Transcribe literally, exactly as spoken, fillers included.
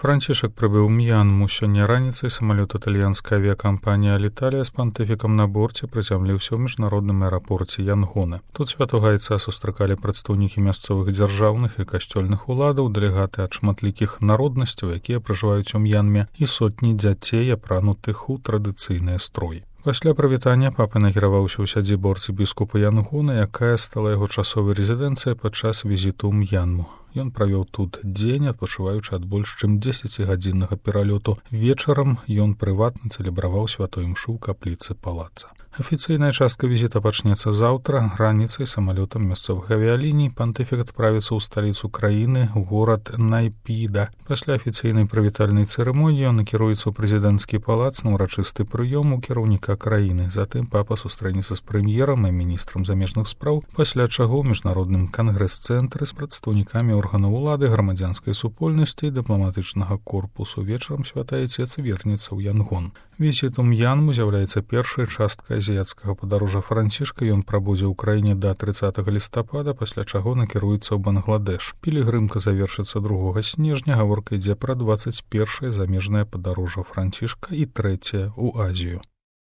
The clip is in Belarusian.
Францішак прыбыў М'янму. Сёння раніцай самалёт італьянскай авіякампаніі «Аліталія» з пантыфікам на борце прызямліўся ў міжнародным аэрапорце Янгона. Тут святога айца сустракалі прадстаўнікі мясцовых дзяржаўных і касцёльных уладаў, дэлегаты ад шматлікіх народнасцяў, якія пражываюць у М'янме, і сотні дзяцей, апранутых у традыцыйныя строі. Пасля прывітання папа накіраваўся ў сядзібу арцыбіскупа Янгона, якая стала яго часовай рэзідэнцыяй падчас візіту ў М'янму. Ён правёў тут дзень, адпачываючы ад больш чым дзесяцігадзіннага пералёту. Вечарам ён прыватна цэлебраваў святой імшу ў капліцы палаца. Афіцыйная частка візіта пачнецца заўтра. Раніцай самалётам мясцовых авіяліній пантыфік адправіцца ў сталіцу краіны, у горад Найпіда. Пасля афіцыйнай прывітальнай цырымоніі ён накіруецца ў прэзідэнцкі палац на ўрачысты прыём у кіраўніка краіны. Затым папа сустрэнецца з прэм'ерам і міністрам замежных спраў, пасля чаго ў міжнародным кангрэс-цэнтры з прадстаўнікамі органаў улады, грамадзянскай супольнасці і дыпламатычнага корпусу. Вечарам святы айцец вернецца ў Янгон. Візіт у М'янму з'яўляецца першай часткай азіяцкага падарожжа Францішка. Ён прабудзе ў краіне да трыццатага лістапада, пасля чаго накіруецца ў Бангладэш. Пілігрымка завершыцца другога снежня. Гаворка ідзе пра дваццаць першае замежнае падарожжа Францішка і трэцяе ў Азію.